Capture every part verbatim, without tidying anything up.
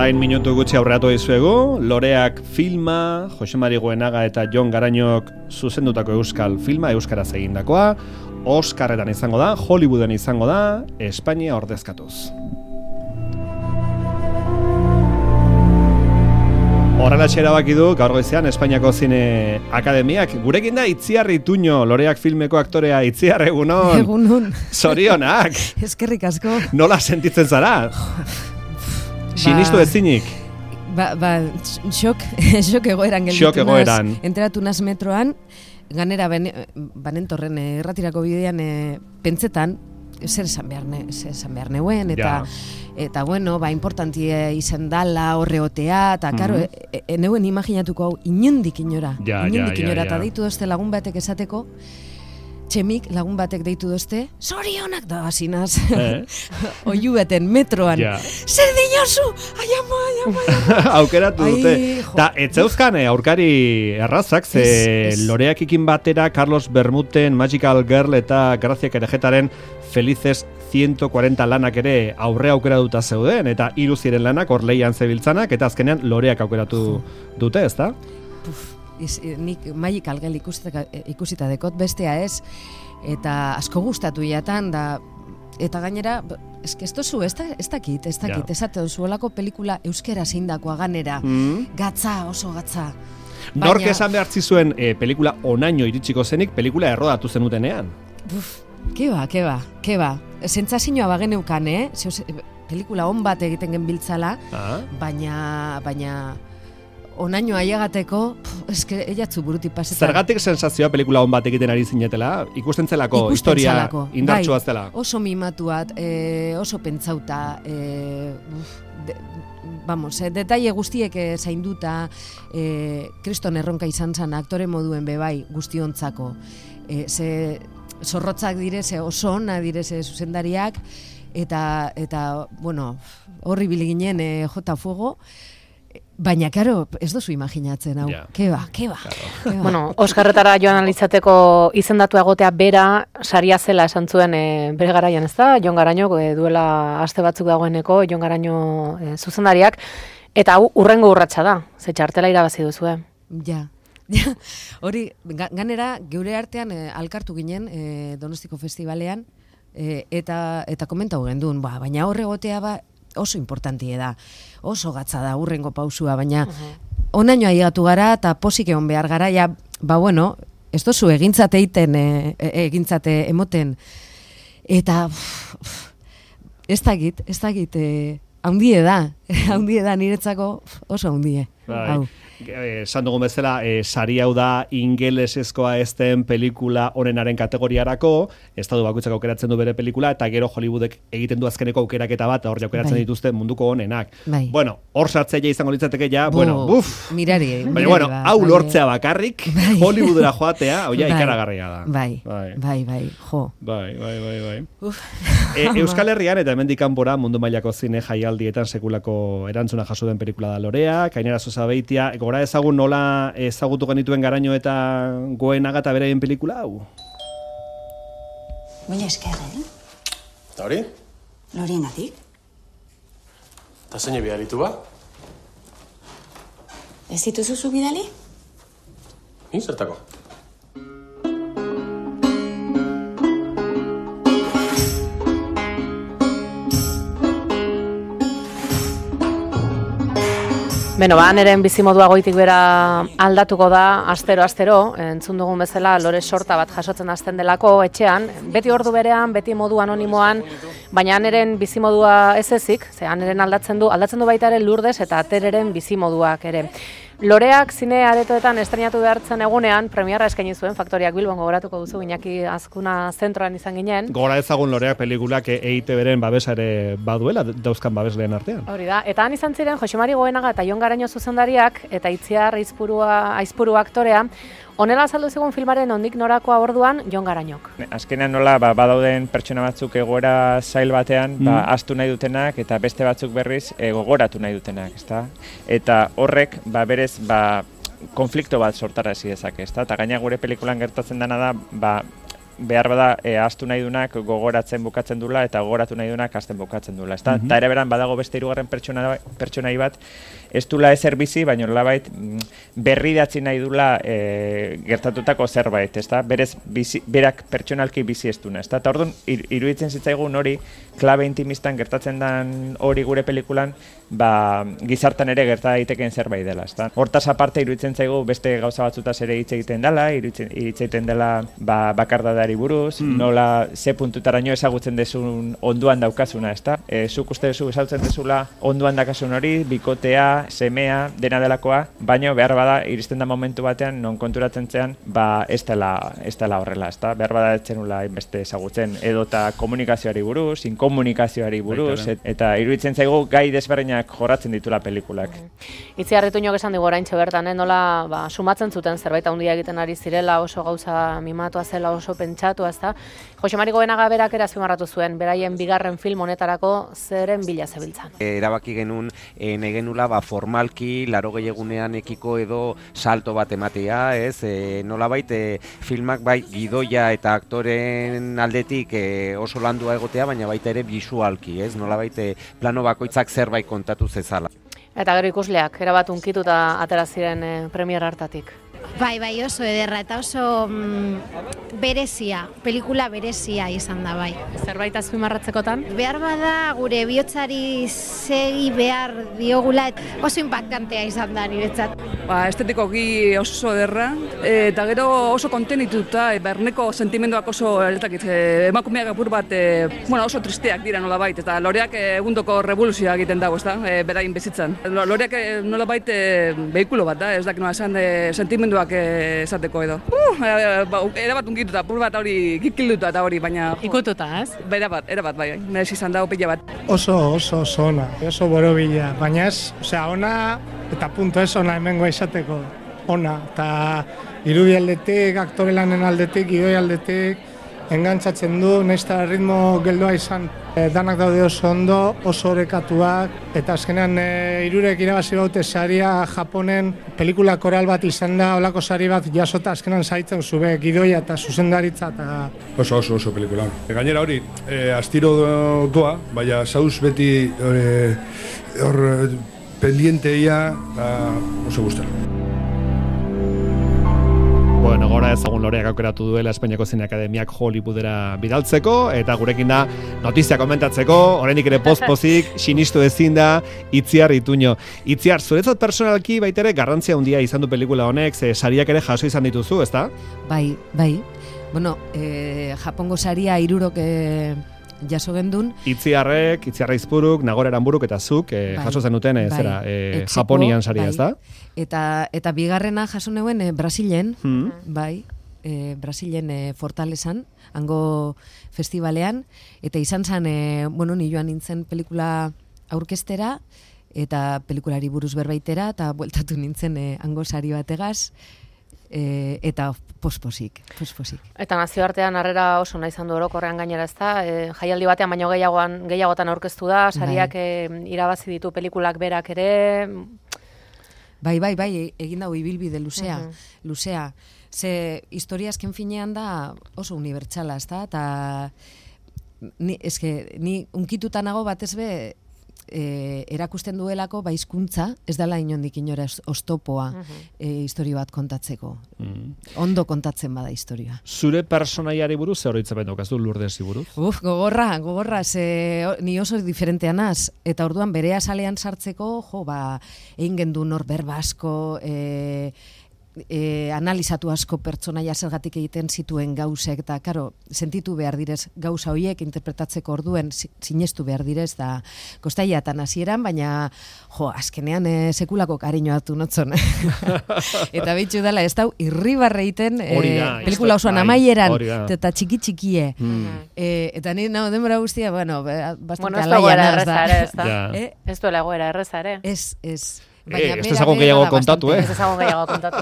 Orain minutu gutxi aurreatu dizuegu, Loreak filma, Jose Mari Goenaga eta Jon Garañok zuzendutako euskal filma, euskaraz egindakoa, Oscarretan izango da, Hollywooden izango da, Espainia ordezkatuz. Horrela erabaki du, gaur goizean, Espainiako Zine Akademiak. Gurekin da Itziar Ituño, Loreak filmeko aktorea. Itziar, egunon. Egunon. Zorionak. Eskerrik asko. Nola sentitzen zara? Sinistu ezinik. Ba, ba, xok, xok egoeran gelditu. Xok egoeran. Enteratu naz metroan, ganera banentorren erratirako bidean e, pentsetan, zer esan behar, ne, zer esan behar neuen, eta... Ja. Eta, bueno, ba, importantia izan dala, horreotea, eta, karo, mm-hmm. e, e, neuen imaginatuko hau, inundik inora. Ja, inundik ja, inora, ja, eta ja. deitu dozte lagun batek esateko, txemik lagun batek deitu dozte, zorionak da, asinaz, eh? Oiu beten, metroan, ja. Zer dinosu, aiama, aiama, aiama. Aukeratu dute. Ta, etzeuzkan, aurkari errazak, ze es, es. Loreakikin batera, Carlos Bermuten, Magical Girl eta Grazia Kerejetaren Felices ciento cuarenta lanak ere aurre aukeratuta zeuden, eta hiru ziren lanak hor leian zebiltzanak, eta azkenean Loreak aukeratu dute, ezta? Iz, nik Magical Girl ikusita, ikusita dekot bestea ez, eta asko gustatu jatan, da, eta gainera, eske ez dozu, ez dakit, ez dakit, ez dakit, zuelako pelikula euskera zeindakoa ganera, mm. gatza, oso gatza. Baina... Nork esan behartzi zuen e, pelikula onaino iritsiko zenik, pelikula errodatu zenutenean? Buf, keba, keba, keba. Sentsazioa bageneukan, eh? Zeus, pelikula on bat egiten genbiltzala, ah. baina, baina onaino aiagateko, eske eiatzu burutik pasetan. Zergatik sensazioa pelikula on bat egiten ari zinetela? Ikusten zelako, historia indartsua zela. Bai, oso mimatuat, eh, oso pentsauta, eh, de, vamos, eh, detaile guztiek eh, zainduta, eh, kriston erronka izan zan aktore moduen bebai guztiontzako. Eh, ze... zorrotzak direze, oso ona direze zuzendariak, eta, eta bueno, horri biliginen e, jota fuego, baina, karo, ez dozu imaginatzen, hau, yeah. keba, keba. Claro. Bueno, Oskarretara joan alitzateko izendatu egotea bera, saria zela esan zuen e, bere garaian, ez da? Jon Garañok e, duela aste batzuk dagoeneko, Jon Garaño e, zuzendariak, eta hau urrengo urratsa da, ze txartela irabazi duzue. Ja. Ja, hori, ganera, geure artean e, alkartu ginen e, Donostiko Festivalean, e, eta eta komentau gendun, ba, baina horre gotea ba, oso importantie da, oso gatza da urrengo pausua, baina uh-huh. onaino aigatu gara eta posik egon behar gara, ja, ba bueno, ez dozu egintzate eiten, e, egintzate emoten, eta pff, ez dakit, ez dakit, e, haundie da, haundie da niretzako oso haundie, hau. Esan dugun bezala, e, sari hau da ingelesezkoa ezten pelikula onenaren kategoriarako, estatu bakoitzak aukeratzen du bere pelikula, eta gero Hollywoodek egiten du azkeneko aukeraketa bat, hor aukeratzen bai. Dituzte munduko onenak. Bai. Bueno, hor sartzea izango litzateke ja, Bo, bueno, buf! Mirari, mirari baina, bueno, ba, hau bai, lortzea bakarrik, bai. Hollywoodera joatea, oia, bai. Ikaragarria da. Bai, bai, bai, bai, jo. Bai, bai, bai, bai. Uf. E, Euskal Herrian eta hemendik kanpora mundu mailako zine jaialdietan sekulako erantzuna jaso den pelikula da Lorea, Kainera Zozabeitia, gora ezagun nola ezagutu genituen Garaño eta Goenaga eta beraien pelikula hau? Mila esker, eh? Eta hori? Lorenatik. Eta zein bidalitu ba? Ez dituzu zu bidali? Ni zertako? Beno, ba, neren bizimodua goitik bera aldatuko da, astero-astero, entzun dugun bezala, lore sorta bat jasotzen hasten delako etxean, beti ordu berean, beti modu anonimoan, baina neren bizimodua ez ezik, ze neren aldatzen du, aldatzen du baita ere Lourdes eta Tereren bizimoduak ere. Loreak zine aretoetan estrenatu behartzen egunean, premiarra eskaini zuen, Faktoriak Bilbon gogoratuko duzu, Iñaki Azkuna zentroan izan ginen. Gora ezagun Loreak pelikulak E I Te Beren babesa ere baduela, dauzkan babesleen artean. Hori da, eta han izan ziren Jose Mari Goenaga eta Jon Garaño zuzendariak, eta Itziar Aizpurua, Aizpuru aktorea, honela azaldu zigun filmaren ondik norakoa orduan Jon Garañok. Azkenean nola ba, badauden pertsona batzuk egoera zail batean, mm. ba, astu nahi dutenak eta beste batzuk berriz e, gogoratu nahi dutenak, ezta? Eta horrek ba, berez ba, konflikto bat sortarazi dezake, ezta? Eta gaina gure pelikulan gertatzen dena da ba, behar bada e, astu nahi dunak gogoratzen bukatzen dula eta gogoratu nahi dunak asten bukatzen dula. Eta mm -hmm. ere beran badago beste hirugarren pertsona, pertsonai bat, ez dula ezer bizi, baina nolabait berri datzi nahi dula e, gertatutako zerbait, ezta? Berez bizi, berak pertsonalki bizi ez duna, ezta? Eta orduan iruditzen zitzaigun hori klabe intimistan gertatzen den hori gure pelikulan, ba, gizartan ere gerta daitekeen zerbait dela, ezta? Hortaz aparte iruditzen zaigu beste gauza batzutaz ere hitz egiten dela, hitz egiten dela ba, bakardadari buruz, mm. nola ze puntutaraino ezagutzen dezun onduan daukazuna, ezta? E, zuk uste duzu ezagutzen dezula onduan dakasun hori, bikotea, semea, dena delakoa, baina behar bada iristen da momentu batean non konturatzen zean, ba ez dela, ez dela horrela, ezta? Behar bada etzenula inbeste ezagutzen edota komunikazioari buruz, inkomunikazioari buruz, et, eta iruditzen zaigu gai desberdinak jorratzen ditula pelikulak. Itziarritu inok esan digu oraintxe bertan, eh? Nola ba, sumatzen zuten zerbait handia egiten ari zirela, oso gauza mimatua zela, oso pentsatua, ezta? Jose Mari Goenaga berak ere azpimarratu zuen, beraien bigarren film honetarako zeren bila zebiltzan. E, erabaki genuen, e, nahi genula, ba, formalki, laro gehiagunean ekiko edo salto bat ematea, ez? E, nolabait, e, filmak bai gidoia eta aktoren aldetik e, oso landua egotea, baina baita ere bisualki, ez? Nolabait, e, plano bakoitzak zerbait kontatu zezala. Eta gero ikusleak, erabat unkituta atera ziren e, premier hartatik. Bai, bai, oso ederra eta oso mm, berezia, pelikula berezia izan da, bai. Zerbait azpimarratzekotan? Behar bada gure bihotzari segi behar diogula, oso impactantea izan da niretzat. Ba, estetikoki oso ederra, eta gero oso kontenituta, berneko sentimenduak oso eltakit, emakumeak apur bat, e, bueno, oso tristeak dira nolabait, eta loreak egundoko revoluzioa egiten dago, ezta, e, berain bizitzan. Loreak nolabait e, behikulo bat da, ez dakit nola esan, e, sentimenduak esateko edo. Uh, erabat ungituta, apur bat hori kikilduta eta hori, baina... Ikututa, ez? Erabat, erabat, bai, merez izan dago pila bat. Oso, oso, oso ona, oso borobila, baina ez, osea, ona, eta punto ez ona hemengo izateko, ona, eta irudi aldetik, aktore lanen aldetik, idoi aldetik, engantzatzen du, nahizta ritmo geldoa izan, e, danak daude oso ondo, oso orekatuak, eta azkenean e, hirurek irabazi baute saria Japonen, pelikula koral bat izan da, olako sari bat jasota azkenean zaitzen zube, gidoia eta zuzendaritza eta... Oso, oso, oso pelikula. Gainera hori, e, astiro doa, baina zauz beti hor pendienteia oso guztara. Bueno, gora ezagun Loreak aukeratu duela Espainiako Zine Akademiak Hollywoodera bidaltzeko, eta gurekin da notizia komentatzeko, oraindik ere poz-pozik, sinistu ezin da, Itziar Ituño. Itziar, zuretzat personalki baitere garrantzia handia izan du pelikula honek, ze sariak ere jaso izan dituzu, ezta? Bai, bai. Bueno, eh, Japongo saria hirurok eh, jaso gendun. Itziarrek, Itziarra Izpuruk, Nagore Aranburuk eta zuk eh, bai, jaso zenuten eh, bai, zera, eh, etxeko, Japonian saria, bai, ezta? Eta, eta bigarrena jaso neuen eh, Brasilen, hmm. bai, eh, Brasilen eh, Fortalesan, hango festivalean, eta izan zen, eh, bueno, ni joan nintzen pelikula aurkeztera, eta pelikulari buruz berbaitera, eta bueltatu nintzen eh, hango sari bategaz, E, eta posposik, posposik. Eta nazioartean harrera oso nahi izan du orokorrean gainera, ezta? E, jaialdi batean baino gehiagoan gehiagotan aurkeztu da, sariak e, irabazi ditu pelikulak berak ere. Bai, bai, bai, egin dago ibilbide luzea, uh-huh. luzea. Ze historia azken finean da oso unibertsala, ezta? Eta ni eske ni unkituta nago batez be E, erakusten duelako baizkuntza ez dela inondik inora oztopoa uh-huh. e, historia bat kontatzeko. Mm. Ondo kontatzen bada historia. Zure personaiari buruz ze oroitzapen daukazu Lurdesi buruz? Uf, gogorra, gogorra, ze ni oso diferentea naz, eta orduan bere azalean sartzeko, jo, ba, egin gendu nor berba asko, e, E, analizatu asko pertsonaia zergatik egiten zituen gauzek, eta karo, sentitu behar direz gauza horiek interpretatzeko orduen sinestu behar direz, da kostaiatan hasieran, baina jo, azkenean e, sekulako kariño hartu notzon. Eta behitxu dela, ez dau, irribarre egiten e, pelikula osoan amaieran, eta txiki txikie. Mm. E, eta nire nago denbora guztia, bueno, bastante bueno, alaian az da. Ez duela egoera erreza ere. Ez, ez. Eh, ez dezagon gehiago kontatu, eh? Ez dezagon gehiago kontatu.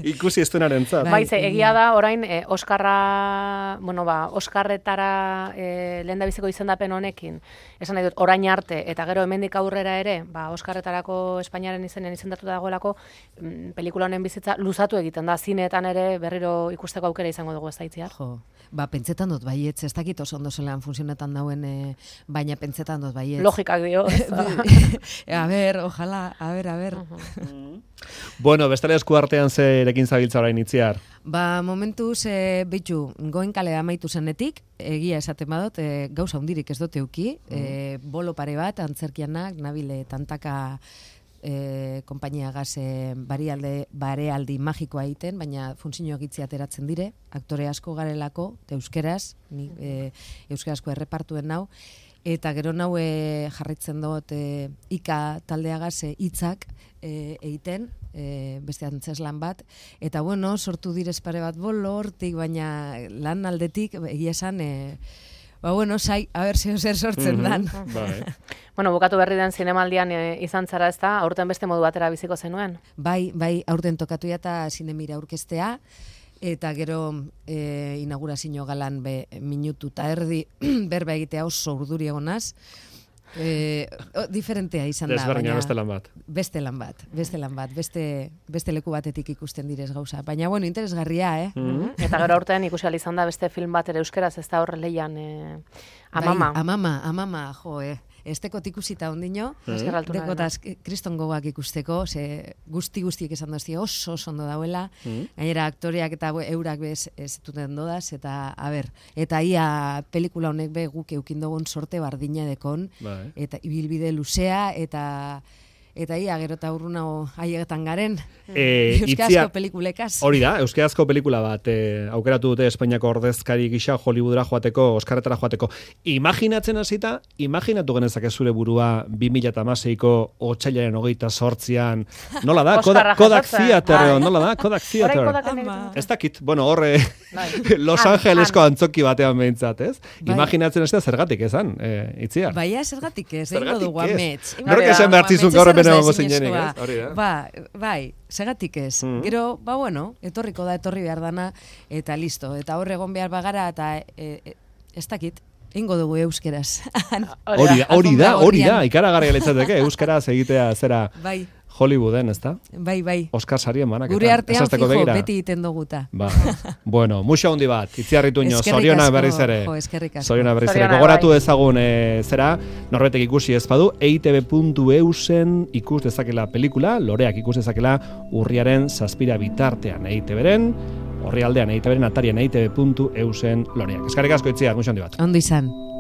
Ikusi ez duenaren zat. Bai, ze, egia da, orain, eh, Oskarra, bueno, ba, Oskarretara eh, lehen da biziko izendapen honekin, esan nahi dut, orain arte, eta gero hemendik aurrera ere, ba, Oskarretarako Espainiaren izenen izendatuta dagoelako, mm, pelikula honen bizitza luzatu egiten da, zineetan ere berriro ikusteko aukera izango dugu ez da itziar. Jo, ba, pentsetan dut baietz, ez dakit oso ondo zelan funtzionetan dauen, eh, baina pentsetan dut baietz. Logikak dio. A ber, ojalá, a ber, a ber. Bueno, bestela esku artean ze erekin zabiltza orain Itziar? Ba, momentuz, e, bitu, goen kale amaitu zenetik, egia esaten badot, e, gauza hundirik ez dute uki, e, bolo pare bat, antzerkianak, nabile tantaka e, kompainia gaze barialde, barealdi magikoa egiten, baina funtzioak itzi ateratzen dire, aktore asko garelako, euskeraz, ni, e, euskarazko errepartuen nau, eta gero nau e, jarritzen dut e, ika taldeagaz e, hitzak e, egiten, e, beste antzeslan bat, eta bueno, sortu direz pare bat bolo hortik, baina lan aldetik, egia esan, e, ba bueno, sai, a ber, zer sortzen dan. Mm-hmm. Bai. Bueno, bukatu berri den zinemaldian e, izan zara ez da, aurten beste modu batera biziko zenuen? Bai, bai, aurten tokatu eta zinemira aurkeztea, eta gero e, inaugurazio galan be, minutu eta erdi berba egitea oso urduri egonaz. E, o, diferentea izan da. Desberdina beste lan bat. Beste lan bat, beste lan bat, beste, beste leku batetik ikusten direz gauza. Baina, bueno, interesgarria, eh? Mm-hmm. Eta gero aurten ikusi ahal izan da beste film bat ere euskeraz, ez da horre leian e, Amama. Bai, Amama, Amama, jo, eh. Estekot ikusita ondino, mm. dekotaz kriston gogoak ikusteko, ze guzti guztiek esan dozti oso oso ondo dauela, mm. gainera aktoreak eta eurak bez ez duten dodaz, eta a ber, eta ia pelikula honek be guk eukindogun sorte bardina dekon, bai. Eta ibilbide luzea, eta eta ia gero eta urruna haiegetan garen, e, euskarazko pelikulekaz. Hori da, euskarazko pelikula bat, e, aukeratu dute Espainiako ordezkari gisa Hollywoodera joateko, Oskarretara joateko. Imaginatzen hasita, imaginatu genezake zure burua bi mila hamaseiko otsailaren hogeita zortzian, nola da? Kodak, Kodak Theater, nola da? Kodak Theater. Ez dakit, bueno, horre Los Angelesko antzoki batean behintzat, ez? Bai. Imaginatzen hasita zergatik ezan, e, Itziar? Baina zergatik ez, egingo dugu amets. Nork esan behartzizun gaur hemen egongo zinenik, ez? Hori da. Ba, bai, segatik ez. Mm-hmm. Gero, ba bueno, etorriko da, etorri behar dana, eta listo. Eta hor egon behar bagara, eta e, e, ez dakit, ingo dugu euskeraz. Hori da, hori da, hori da, ikaragarria litzateke, euskaraz egitea zera bai. Hollywooden, ez da? Bai, bai. Oskar sarien banak. Gure artean fijo, begira. Beti iten duguta. Ba. Bueno, muxa hundi bat, Itziarrituño, zorionak berriz ere. Jo, eskerrik asko. Zorionak berriz ere. Gogoratu ezagun e, zera, norbetek ikusi ez badu, e i te be puntu e u zen ikus dezakela pelikula, loreak ikus dezakela urriaren zazpira bitartean e i te beren, horri aldean e i te beren atarian e i te be puntu e u zen loreak. Eskerrik asko Itziar, muxa hundi bat. Ondo izan.